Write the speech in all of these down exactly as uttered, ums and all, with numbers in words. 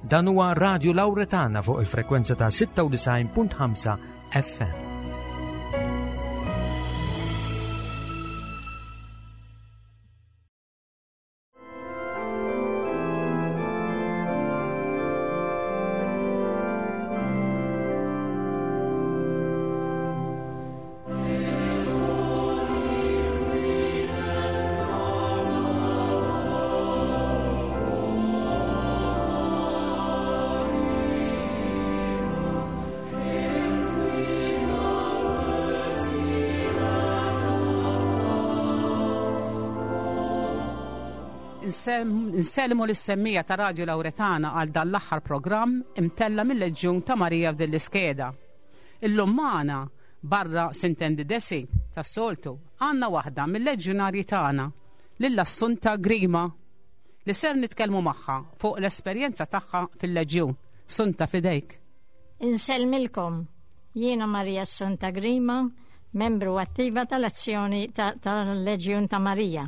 Dan huwa Radio Lauretana fuq il-frekwenza ta' sitta u disgħin punt ħamsa F M. Nsellmu lis-semmiegħa ta' Radio Lauretana għal dan l-aħħar programm imtella' mill-Leġjun ta' Marija f'din l-iskeda. Illum magħna barra sintendi Desi tas-soltu għandna waħda mill-leġjunarji tagħna, lil Assunta Grima, li ser nitkellmu magħha fuq l-esperjenza tagħha fil-Leġjun. Sunta, f'idejk. Insellmilkom. Jiena Maria Assunta Grima, membru attiva tal-azzjoni tal-Leġjun ta' Marija.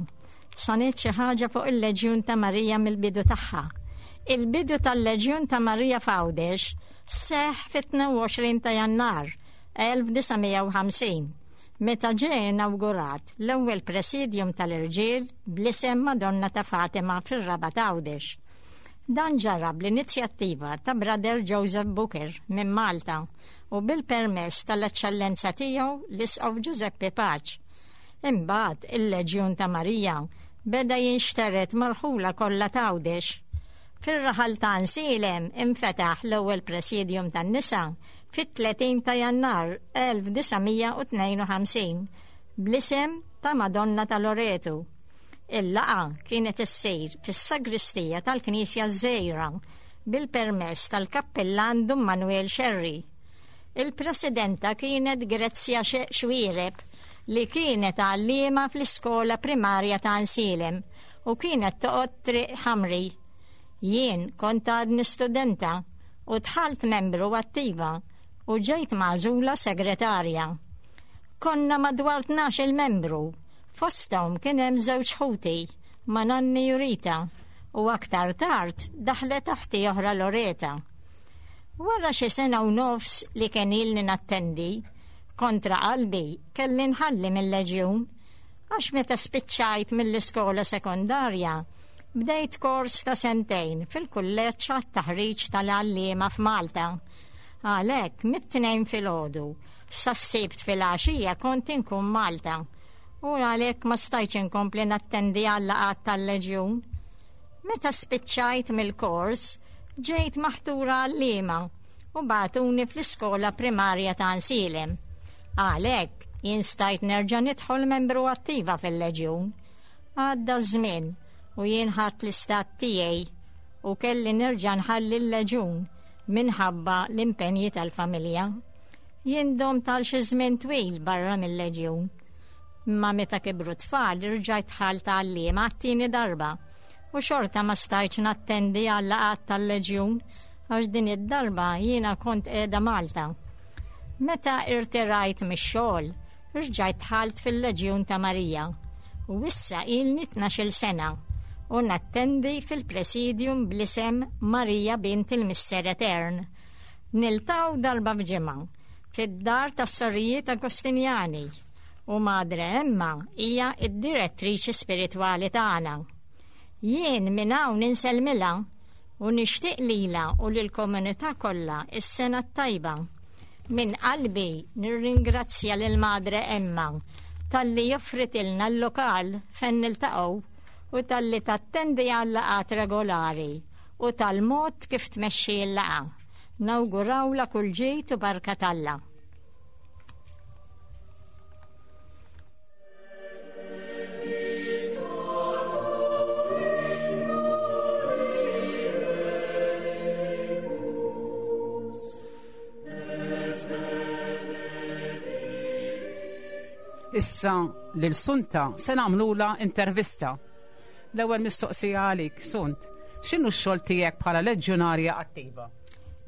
Se ngħid xi ħaġa fuq il-Leġjun ta' Marija mill-bidu tagħha. Il-bidu tal-Leġjun ta' Marija f'Għawdex seħ fit-tnejn u għoxrin ta' Jannar elf disa' mija u ħamsin, meta ġie inawgurat l-ewwel presidium tal-irġiel bl-isem Madonna ta' Fatima fir-Rabat Għawdex. Dan ġara bl-inizjattiva ta' Brother Joseph Booker minn Malta u bil-permess tal-Eċċellenza tiegħu l-Isqof Giuseppe Pace. Imbagħad il-Leġjun ta' Marija beda jinxtered mal-irħula kollha t'Għawdex. Fir-raħal ta' Għajnsielem infetaħ l-ewwel presidium tan-nisa fit-tletin ta' Jannar elf disa' mija u tnejn u ħamsin bl-isem ta' Madonna ta' Loretu. Il-laqgħa kienet issir fis-sagristija tal-Knisja Żgħira bil-permess tal-kappellan Dun Manuel Scerri. Il-presidenta kienet Grezzja Xwireb, li kienet għallima fl-iskola primarja ta' Għajnsielem u kienet toqgħod Triq Ħamri. Jien kont għadni studenta u dħalt membru attiva u ġejt magħżula segretarja. Konna madwar tnax-il membru, fosthom kien hemm żewġ ħuti, Mananni u Rita, u aktar tard daħlet oħti oħra Loreta. Wara xi sena u nofs li kien ilni nattendi, kontra qalbi kelli nħalli mill-leġjun, għax meta spiċċajt mill-iskola sekondarja, bdejt kors ta' sentejn fil-kulleġġ għat-taħriġ tal-għalliema f'Malta. Għalhekk mit-Tnejn filgħodu sas-Sibt filgħaxija kont inkun Malta u għalhekk ma stajtx inkompli nattendi għal-laqgħat tal-leġjun. Meta spiċċajt mill-kors, ġejt maħtura għalliema u bagħtuni fl-iskola primarja ta' Għajnsielem. Għalhekk jien stajt nerġa' nidħol membru attiva fil-leġjun. Għadda żmien u jien ħadt l-istat tiegħi u kelli nerġa' nħalli l-leġjun minħabba l-impenji tal-familja. Jien domt għal xi żmien twil barra mill-leġjun. Imma meta kibru tfal irġajt dħalt għalliema għat-tieni darba u xorta ma stajtx nattendi għal laqgħat tal-leġjun għax din id-darba jiena kont qiegħda Malta. Meta irtirajt mix-xogħol, rġajt dħalt fil-Leġjun ta' Marija u issa ilni tnax-il sena u nattendi fil-presidium bl-isem Marija Bint il-Missier Etern. Niltaqgħu darba f'ġimgħa fid-dar tas-Sorijiet Agostinjani u Madre Emma hija id-direttriċi spiritwali tagħna. Jien minn hawn insellmilha u nixtieq lilha u lill-komunità kollha is-sena t-tajba. Minn qalbi nirringrazzja lil Madre Emma talli offritilna l-lokal fejn niltaqgħu u talli tattendi għal laqgħat regolari u tal-mod kif tmexxi l-laqgħa. Nawgurawla kull ġid u barka t'Alla. Issa lil Sunta se nagħmlula intervista. L-ewwel mistoqsija għalik, Sunt. X'inhu x-xogħol tiegħek bħala leġjonarja attiva?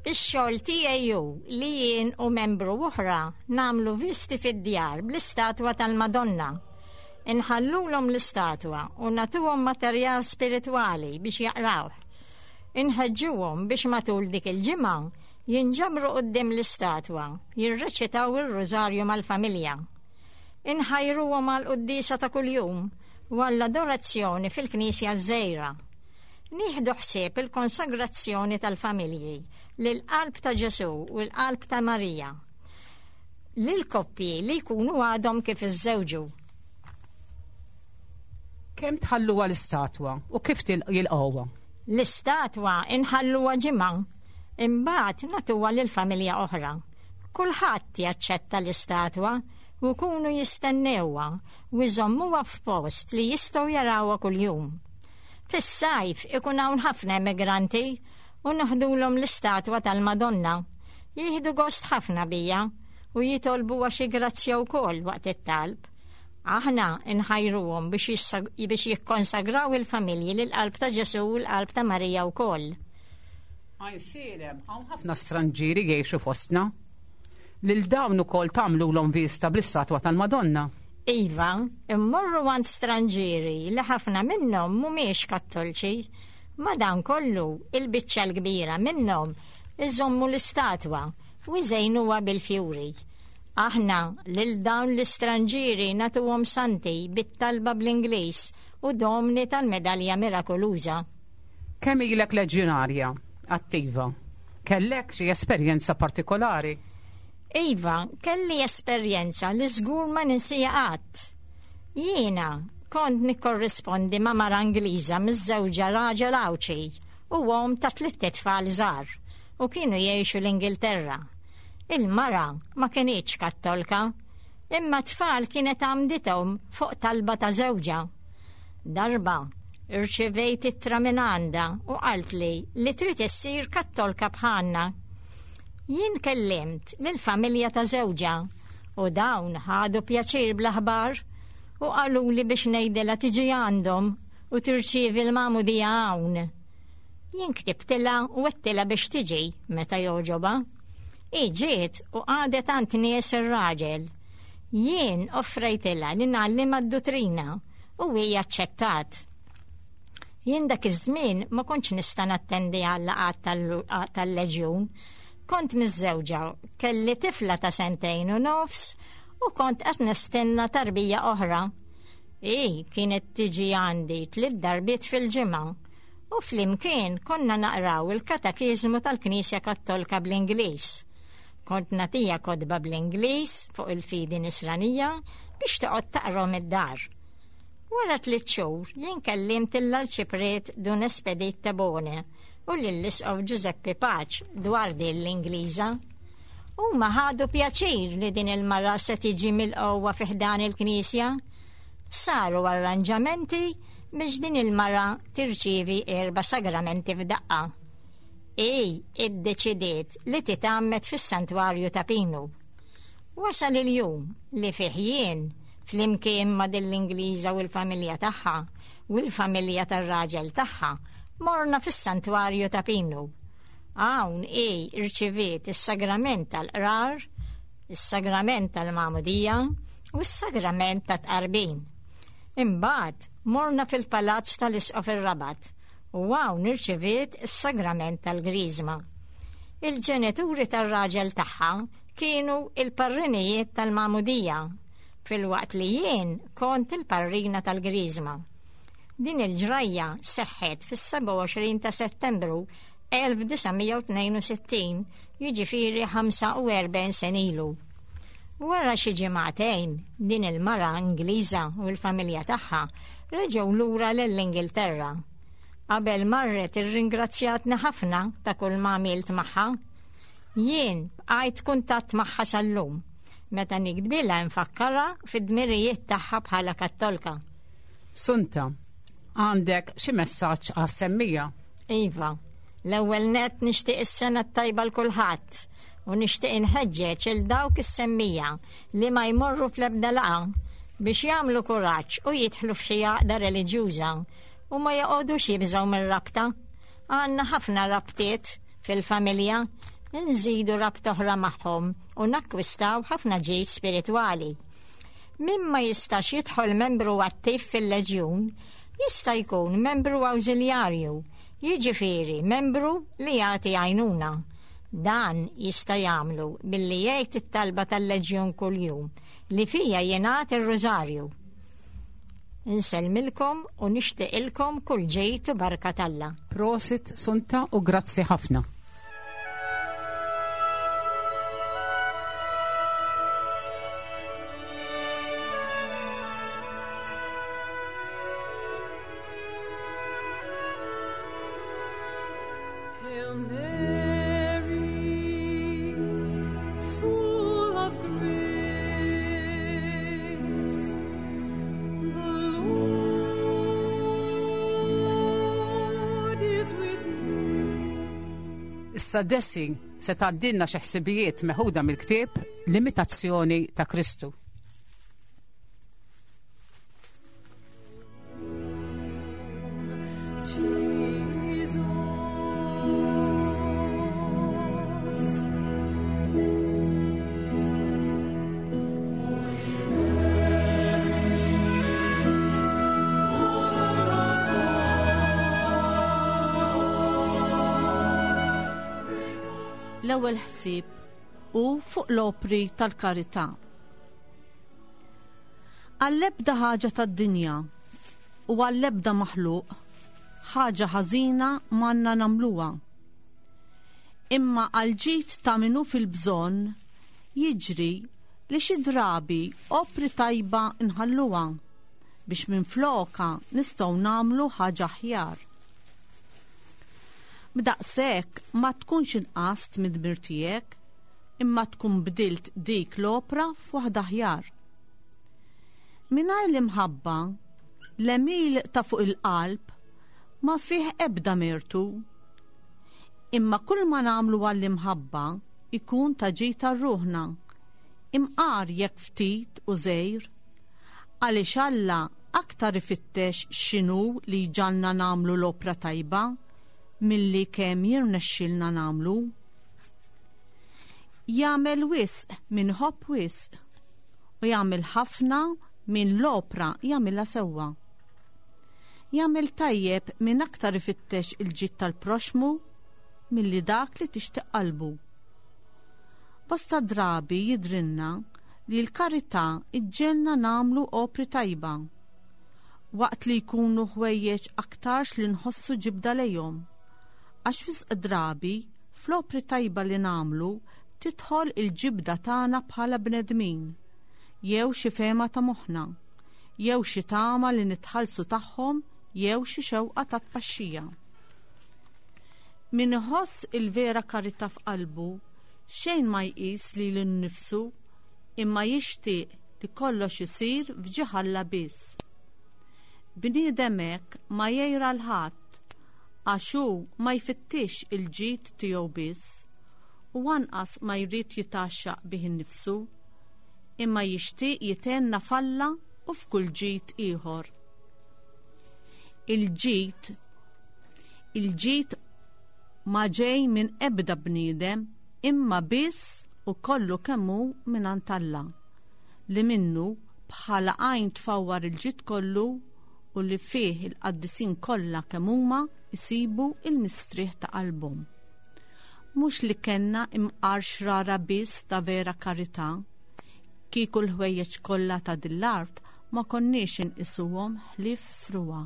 Ix-xogħol tiegħi hu li jien u membru oħra nagħmlu visti fid-djar bl-istatwa tal-Madonna. Inħallulhom l-istatwa u nagħtuhom materjal spiritwali biex jaqrawh. Inħeġġuhom biex matul dik il-ġimgħa jinġabru quddiem l-istatwa, jirreċitaw ir-rużarju mal-familja. Inħajruhom għall-quddiesa ta' kuljum u għall-adorazzjoni fil-Knisja ż-Żgħira. Nieħdu ħsieb il-konsagrazzjoni tal-familji lill-qalb ta' Ġesù u l-qalb ta' Marija. Lil koppji li jkunu għadhom kif iżżewġu. Kemm tħalluha l-istatwa u kif jilqgħuha? L-istatwa inħalluha ġimgħa, imbagħad nagħtuha lil familja oħra. Kulħadd jaċċetta l-istatwa u jkunu jistennewha u jżommuha f'post li jistgħu jarawha kuljum. Fis-sajf ikun hawn ħafna immigranti u naħdulhom l-istatwa tal-Madonna. Jieħdu gost ħafna bija u jitolbu xi grazzja wkoll waqt it-talb. Aħna nħajruhom biex biex jikkonsagraw il-familji lill-qalb ta' Ġesù u l-qalb ta' Marija wkoll. Għajnsielem, hawn ħafna stranġieri jgħixu fostna. Lil dawn ukoll tagħmlulhom vista bl-istatwa tal-Madonna. Iva, immorru għand stranġieri li ħafna minnhom mhumiex kattolċi. Madankollu, il-biċċa l-kbira minnhom iżommu l-istatwa u jżejnuha bil-fjuri. Aħna lil dawn l-istranġieri nagħtuhom santi bit-talba bl-Ingliż u domni tal-medalja mirakoluża. Kemm ilek leġjonarja attiva? Kellek xi esperjenza partikolari? Iva, kelli esperjenza li żgur ma ninsija qatt. Jiena kont nikkorrispondi ma' mara Ingliża miżżewġa raġel Għawdxi u omm ta' tliet tfal żgħar u kienu jgħixu l-Ingilterra. Il-mara ma kinitx kattolka, imma tfal kienet għamdithom fuq talba ta' żewġha. Darba, irċivejt ittra minn għandha u qaltli li trid issir kattolka bħalna. Jien kellimt lill-familja ta' żewġha u dawn ħadu pjaċir bl-aħbar u qaluli biex ngħidilha tiġi għandhom u tirċievi l-magħmudija hawn. Jien ktibtilha u għedtilha biex tiġi meta jogħġobha. Hi ġiet u qagħdet għand nies ir-raġel. Jien offrejtilha li ngħallimha d-duttrina u hi aċċettat. Jien dak iż-żmien ma kontx nista' nattendi għal laqgħat tal-leġjun. Kont miżżewġa, kelli tifla ta' sentejn u nofs u kont qed nistenna tarbija oħra. Hi kienet tiġi għandi tliet darbiet fil-ġimgħa u flimkien konna naqraw il-katekiżmu tal-Knisja Kattolka bl-Ingliż. Kont nagħtiha kotba bl-Ingliż fuq il-fidi nisranija biex toqgħod taqrom id-dar. Wara tliet xhur jien kellimt l-Arċipriet Dun Espedit Tabone u lill-Isqof Giuseppe Pace dwar din l-Ingliża. Huma ħadu pjaċir li din il-mara se tiġi mill-qowwa fi ħdan il-Knisja. Saru arranġamenti biex din il-mara tirċievi erba' sagramenti f'daqqa. Hi iddeċidiet li titgħammed fis-santwarju ta' Pinu. Wasal il-jum li fih jien flimkien ma' din l-Ingliża u l-familja tagħha u l-familja tar-raġel tagħha morna fis-santwarju ta' Pinu. Hawn hi rċeviet is-sagrament tal-qrar, is-sagrament tal-magħmudija u s-sagrament tat-tqarbin. Imbagħad morna fil-palazz tal-Isqof ir-Rabat u hawn irċeviet is-sagrament tal-Griżma. Il-ġenituri tar-raġel tagħha kienu il-parrinijiet tal-magħmudija, filwaqt li jien kont il-parrina tal-Griżma. Din il-ġrajja seħħet fis-sebgħa u għoxrin ta' Settembru elf disa' mija u tnejn u sittin, jiġifieri ħamsa u erbgħin sen ilu. Wara xi ġimagħtejn, din il-mara Ingliża u l-familja tagħha reġgħu lura lill-Ingilterra. Qabel marret irringrazzjatni ħafna ta' kull ma għamilt magħha. Jien bqajt kuntatt magħha sal-lum, meta nikdbilha nfakkarha fid-dmirijiet tagħha bħala kattolka. Sunta, għandek xi messaġġ għas-semmija? Iva, l-ewwel nett nixtieq is-sena t-tajba l kulħadd u nixtieq inħeġġeġ il dawk is-semmija li ma jmorru fl-ebda laqgħa biex jagħmlu kuraġġ u jidħlu f'xi għaqda reliġjuża u ma joqogħdux jibżgħu mir-rabta. Għandna ħafna rabtiet fil-familja, nżidu rabta oħra magħhom u nakkwistaw ħafna ġid spiritwali. Min ma jistax jidħol membru attiv fil-leġjun, jista' jkun membru awżiljarju Jiġifieri membru li jagħti għajnuna. Dan jista' jagħmlu billi jgħid it-talba tal-Leġjun kuljum li fija jingħad ir-Rużarju. Insellmilkom u nixtieqilkom kull ġid u barka t'Alla. Prosit, Sunta, u grazzi ħafna. Hail Mary, full of grace, the Lord is with thee. Issa Desi se tgħaddilna xi ħsibijiet meħuda mill-ktieb L-Imitazzjoni ta' Kristu. Jesus. L-ewwel ħsieb hu fuq l-opri tal-karità. Għall-ebda ħaġa tad-dinja u għall-ebda maħluq, ħaġa ħażina m'għandna nagħmluha. Imma għall-ġid ta' min hu fil-bżonn jiġri li xi drabi opri tajba nħalluha biex minflokha nistgħu nagħmlu ħaġa aħjar. B'daqshekk ma tkunx inqast mid-dmir tiegħek, imma tkun bdilt dik l-opra f'waħda aħjar. Mingħajr l-imħabba, l-għemil ta' fuq il-qalb ma fih ebda mertu. Imma kull ma nagħmlu għall-imħabba ikun ta' ġid ta' ruħna, imqar jekk ftit u żgħir, għaliex Alla aktar ifittex x'inhu li jġalna nagħmlu l-opra tajba milli kemm jirnexxilna nagħmlu. Jagħmel wisq min ħobb wisq u jagħmel ħafna min l-opra jagħmilha sewwa. Jagħmel tajjeb min aktar ifittex il-ġid tal-proxmu milli dak li tixtieq qalbu. Bosta drabi jidrinna li l-karità iġġelna nagħmlu opri tajba, waqt li jkunu ħwejjeġ aktarx li nħossu ġibda lejhom. Għax wisq drabi fl-opri tajba li nagħmlu tidħol il-ġibda tagħna bħala bnedmin, jew xi fehma ta' moħħna, jew xi tama li nitħallsu tagħhom, jew xi xewqa ta' tpaxxija. Min iħoss il-vera karità f'qalbu xejn ma jqis lilu nnifsu, imma jixtieq li kollox isir f'ġieħ Alla biss. Bniedem hekk ma jgħira 'l ħadd, għax hu ma jfittix il-ġid tiegħu biss, u anqas ma jrid jitgħaxxaq bih innifsu, imma jixtieq jitenna f'Alla u f'kull ġid ieħor. Il-ġid, il-ġid ma ġej minn ebda bniedem, imma biss u kollu kemm hu mingħand Alla, li minnu bħala għajn tfawwar il-ġid kollu u li fih il-qaddisin kollha kemm huma jsibu il-mistrieħ ta' qalbhom. Mhux li kellna imqar xrara biss ta' vera karità, kieku l-ħwejjeġ kollha ta' din l-art ma konniex inqisuhom ħlief frugħa.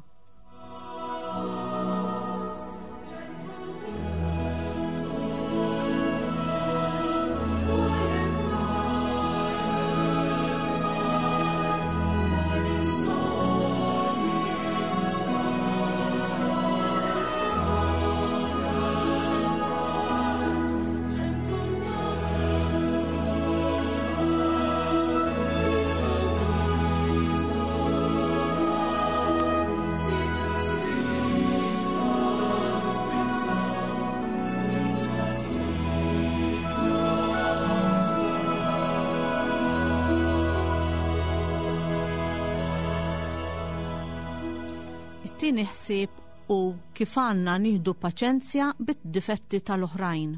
It-tieni ħsieb hu kif għandna nieħdu paċenzja bid-difetti tal-oħrajn.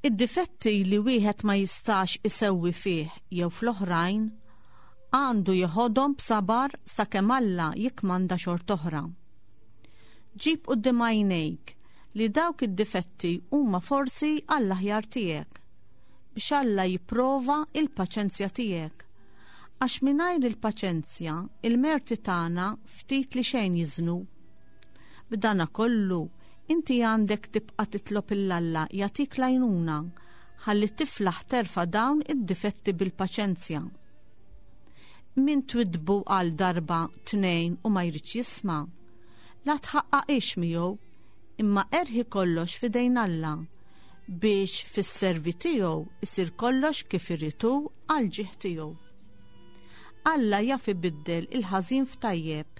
Id-difetti li wieħed ma jistax isewwi fih jew fl-oħrajn għandu jeħodhom b'sabar sakemm Alla jikmanda xort'oħra. Ġib quddiem għajnejk li dawk id-difetti huma forsi għall-aħjar tiegħek, biex Alla jipprova il-paċenzja tiegħek. Għax mingħajr il-paċenzja, il-merti tagħna ftit li xejn jiżnu. B'dana kollu, inti għandek tibqa' titlob 'il Alla jagħtik l-għajnuna ħalli tiflaħ terfa' dawn id-difetti bil-paċenzja. Min twidbu għal darba tnejn u ma jridx jisma', la tħaqqaqix miegħu, imma erħi kollox f'idejn Alla biex fis-servi tiegħu isir kollox kif irid hu għal ġieħ tiegħu. Alla jaf ibiddel il-ħażin f'tajjeb.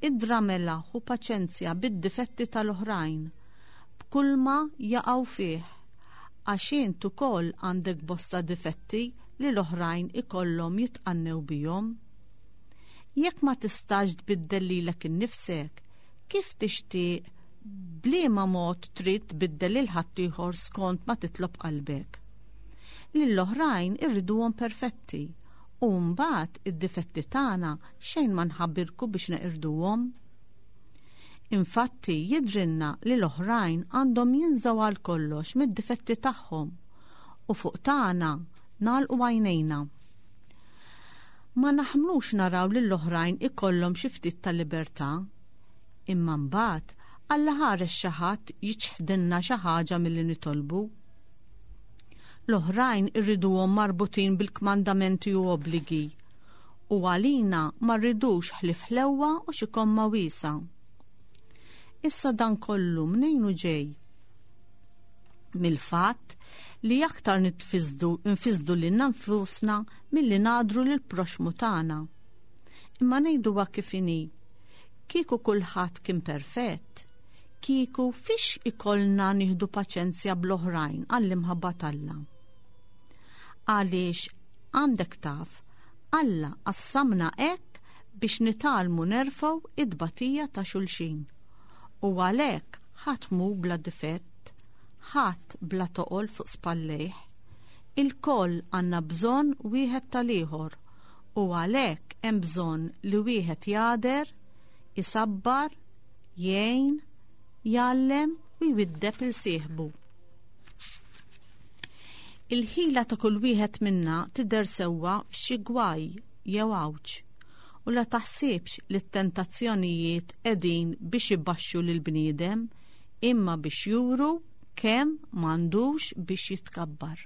Idra mela hu paċenzja bid-difetti tal-oħrajn, b'kulma jaqgħu fih, għax int ukoll għandek bosta difetti li l-oħrajn ikollhom jitqannew bihom. Jekk ma tistax tbiddel lilek innifsek, kif tixtieq b'liema mod trid tbiddel lil ħaddieħor skont ma titlob qalbek? Lill-oħrajn irriduhom perfetti, u mbagħad id-difetti tagħna xejn ma nħabbirku biex neqirduhom. Infatti jidrinna li l-oħrajn għandhom jinżaw għal kollox mid-difetti tagħhom u fuq tagħna nagħlqu għajnejna. Ma naħmlux naraw lill-oħrajn ikollhom xi ftit ta' libertà, imma mbagħad Alla ħares xi ħadd jiċħdilna xi ħaġa milli nitolbu. L-oħrajn irriduhom marbutin bil-kmandamenti u obbligi, u għalina ma rridux ħlief ħlewwa u xi komma wiesa. Issa dan kollu mnejn hu ġej? Mill-fatt li aktar nitfisdu, nfisdu lilna nfusna milli nadru lil proxmu tagħna. Imma ngħiduha kif inhi, kieku kulħadd kien perfett, kieku fiex ikollna nieħdu paċenzja bl-oħrajn għall-imħabba t'Alla. Għaliex għandek taf, Alla qassamna hekk biex nitgħallmu nerfgħu id-batija ta' xulxin. U għalhekk ħadd mhu bla difett, ħadd bla toqol fuq spallejh. Il-koll għandna bżonn wieħed tal-ieħor u għalhekk hemm bżonn li wieħed jagħder, isabbar, jgħin, jgħallem u jwiddeb il sieħbu. Il-ħila ta' kull wieħed minna tidher sewwa f'xi gwaj jew għawġ, u la taħsibx li t-tentazzjonijiet qegħdin biex ibaxxu lil bniedem, imma biex juru kemm m'għandux biex jitkabbar.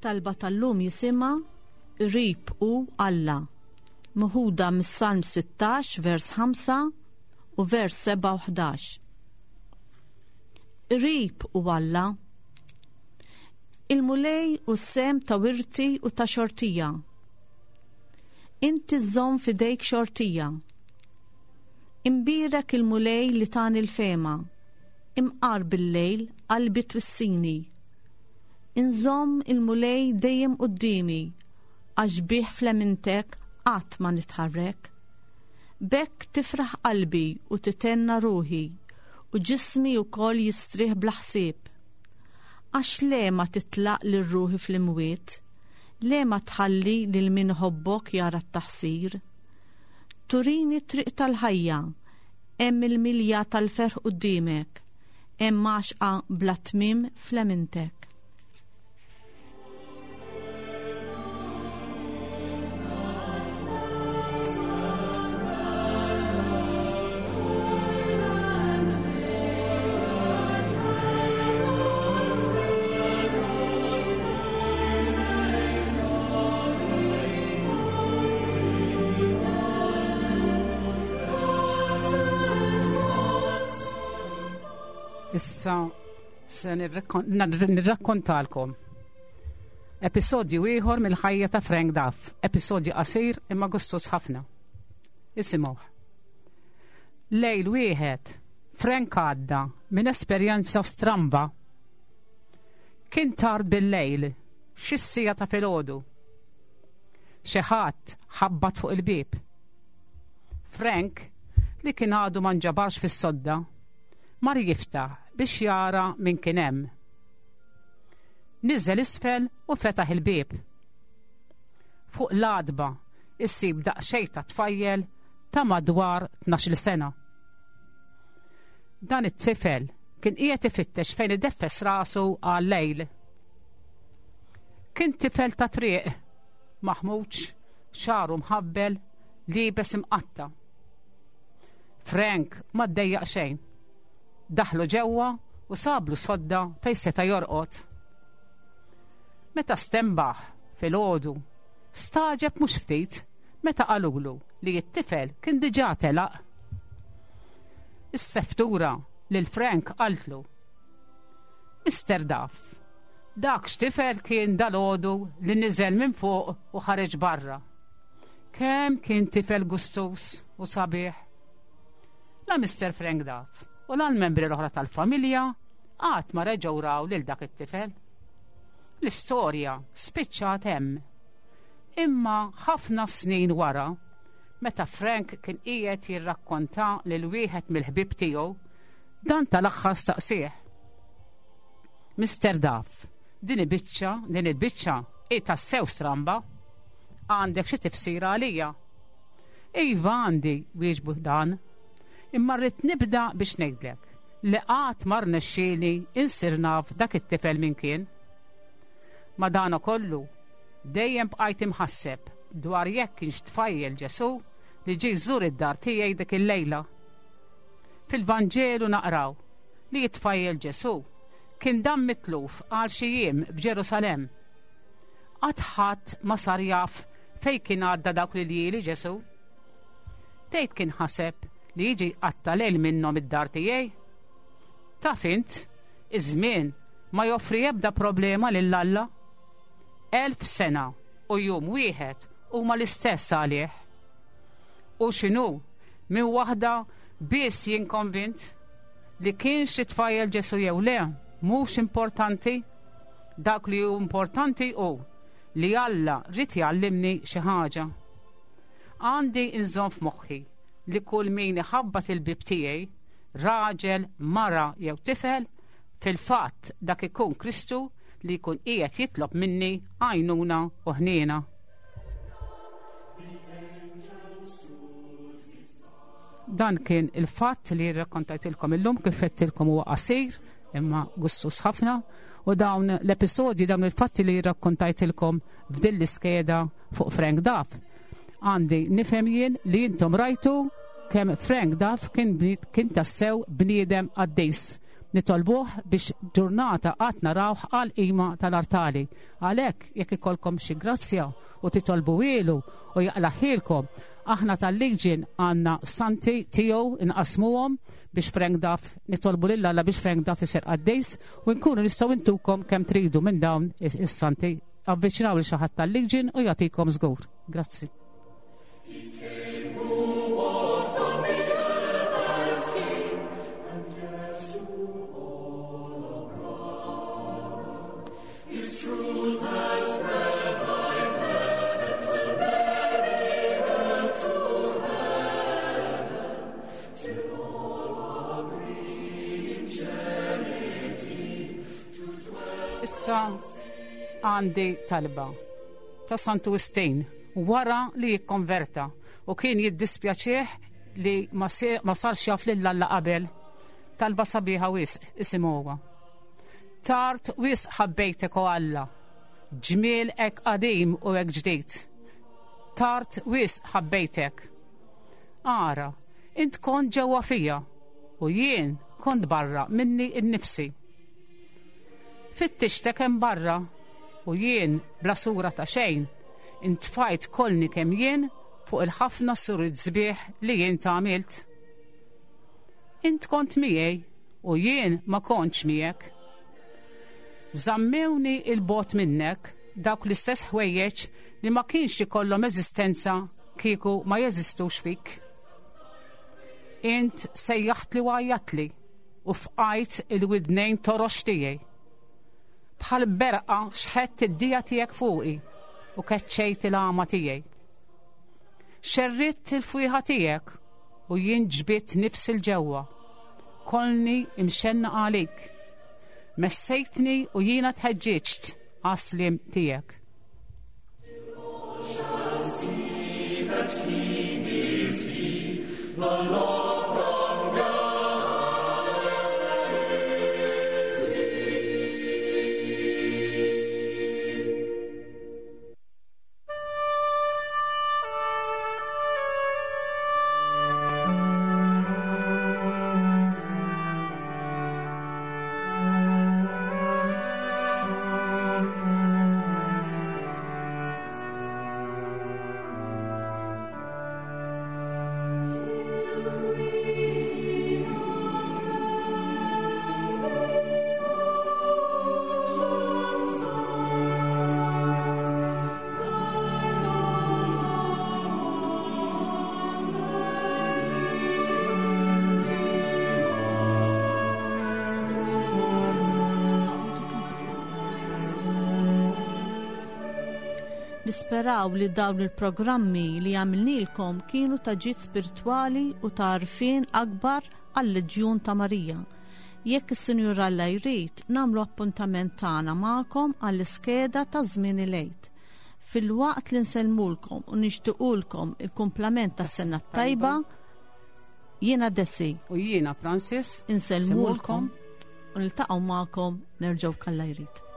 Talba tal-lum jisimha Qrib hu Alla, meħuda mis-Salm sittax vers ħamsa u vers seba' u ħdax. Qrib hu Alla. Il-Mulej u s-sem ta' wirti u ta' xortija. Inti żżomm f'idejk xortija. Imbierek il-Mulej li tani l-fehma, imqar bil-lejl qalbi twissini. Inżomm il-Mulej dejjem quddiemi, għax bih flemintek qatt ma nitħarrek. B'hekk tifraħ qalbi u titenna ruħi, u ġismi wkoll jistrieħ bla ħsieb. Għax le ma titlaq lil ruħi fl-imwiet, le ma tħalli lil min ħobbok jara t-taħsir. Turini t-triq tal-ħajja, hemm il-milja tal-ferħ quddiemek, hemm għaxqa bla tmiem flemintek. Issa se nirrakkontalkom episodju ieħor mill-ħajja ta' Frank Duff, episodju qasir imma gustus ħafna. Isimgħuh. Lejl wieħed, Frank għadda minn esperjenza stramba. Kien tard bil-lejl, xi siegħa ta' filgħodu. Xi ħadd ħabbat fuq il-bieb. Frank, li kien għadu ma nġabarx fis-sodda, mar jiftaħ biex jara min kien hemm. Niżel isfel u fetaħ il-bieb. Fuq l-għatba issib daqsxejn ta' tfajjel ta' madwar tnax-il sena. Dan it-tifel kien qiegħed ifittex fejn ideffes rasu għal-lejl. Kien tifel ta' triq, maħmuġ, xagħru mħabbel, liebes imqatta'. Frank ma ddejjaq xejn. Daħlu ġewwa u sablu sodda fejn seta' jorqod. Meta stenbaħ filgħodu, stagħġeb mhux ftit meta qalulu li t-tifel kien diġà telaq. Is-seftura lil Frank qaltlu: Mister Duff, dak x'tifel kien dalgħodu li niżel minn fuq u ħareġ barra. Kemm kien tifel gustus u sabiħ. La Mister Frank Duff u la l-membri l-oħra tal-familja qatt ma reġgħu raw lil dak it-tifel. L-istorja spiċċat hemm. Imma ħafna snin wara, meta Frank kien qiegħed jirrakkonta lil wieħed mill-ħbieb tiegħu, dan tal-aħħar staqsieh: Mister Duff, din il-biċċa, din il-biċċa hi tassew stramba. Għandek xi tifsira għalija? Iva għandi, wieġbu dan. Imma rrid nibda biex ngħidlek li qatt ma rnexxieli insir naf dak it-tifel min kien. Ma dana kollu, dejjem bqajt imħasseb dwar jekk kienx tfajjel Ġesu li ġie jżur id-dar tiegħi dik il-lejla. Fil-Vanġelu naqraw li t-tfajjel Ġesu kien dam mitluf għal xi jiem f'Ġerusalemm. Qatt ħadd ma sar jaf fejn kien għadda dawk l-iljieli Ġesu. Tgħid kien ħaseb li jiġi qatta lejl minnhom id-dar tiegħi? Taf int, iż-żmien ma joffri ebda problema lil Alla. Elf sena u jum wieħed huma l-istess għalih. U x'inhu, minn waħda biss jien konvint li kienx xi tfajjel Ġesu jew le, mhux importanti. Dak li hu importanti hu li Alla rrid jgħallimni xi ħaġa. Għandi nżomm f'moħħi li kull min iħabbat il-bib tiegħi, raġel, mara jew tifel, fil-fatt dak ikun Kristu li jkun qiegħed jitlob minni għajnuna u ħniena. Dan kien il-fatt li rrakkontajtilkom illum, kif għedtilkom huwa qasir imma gustus ħafna, u dawn l-episodji, dawn il-fatti li rrakkontajtilkom f'din l-iskeda fuq Frank Duff. Għandi nifhem jien li intom rajtu kemm Frank Duff kien bni-, kien tassew bniedem qaddis. Nitolbuh biex ġurnata qatt narawh għal qima tal-artali. Għalhekk jekk ikollkom xi grazzja u titolbu ilu u jaqlaħilkom, aħna tal-Legion għandna santi tiegħu inqasmuhom biex Frank Duff, nitolbu lil Alla biex Frank Duff isir qaddis u nkunu nistgħu intukom kemm tridu minn dawn is-, is-santi. Avviċinaw lil xi ħadd tal-Legion u jagħtikom żgur. Grazzi. Issa għandi talba ta' Santu Wistin wara li jikkonverta u kien jiddispjaċih li ma se-, ma sarx jaf lil Alla qabel. Talba sabiħa wisq, isimgħuha. Tard wisq ħabbejtek o Alla, ġmiel hekk qadim u hekk ġdid. Tard wisq ħabbejtek. Ara, int kont ġewwa fija u jien kont barra minni nnifsi. Fittixtek hemm barra u jien bla sura ta' xejn intfajt kollni kemm jien fuq il-ħafna surid sbieħ li jien tagħmilt. Int kont miegħi u jien ma kontx miegħek. Żammewni il-bot minnek dawk l-istess ħwejjeġ li ma kienx ikollhom eżistenza kieku ma jeżistux fik. Int sejjaħtli u għajjatli u fqajt il-widnejn torox tiegħi. Bħal berqa xħett id-dija tiegħek fuqi u keċċejt il-għama tiegħi. Xerritt il-fwieħa tiegħek u jien ġbidt nifs il-ġewwa. Kolni imxenna għalik. Messejtni u jiena tħeġġiġt għas-sliem tiegħek. Nisperaw li dawn il-programmi li għamilnilkom kienu ta' ġid spiritwali u ta' għarfien akbar għal-Leġjun ta' Marija. Jekk is-Sinjur Alla jrid, nagħmlu appuntament tagħna magħkom għall-iskeda ta' żmien il-Għid. Fil-waqt li nsellmulkom u nixtiequlkom il-kumplament tas-sena t-tajba, jiena Desi. U jiena Francis. Insellmulkom u niltaqgħu magħkom nerġgħu kalla jrid.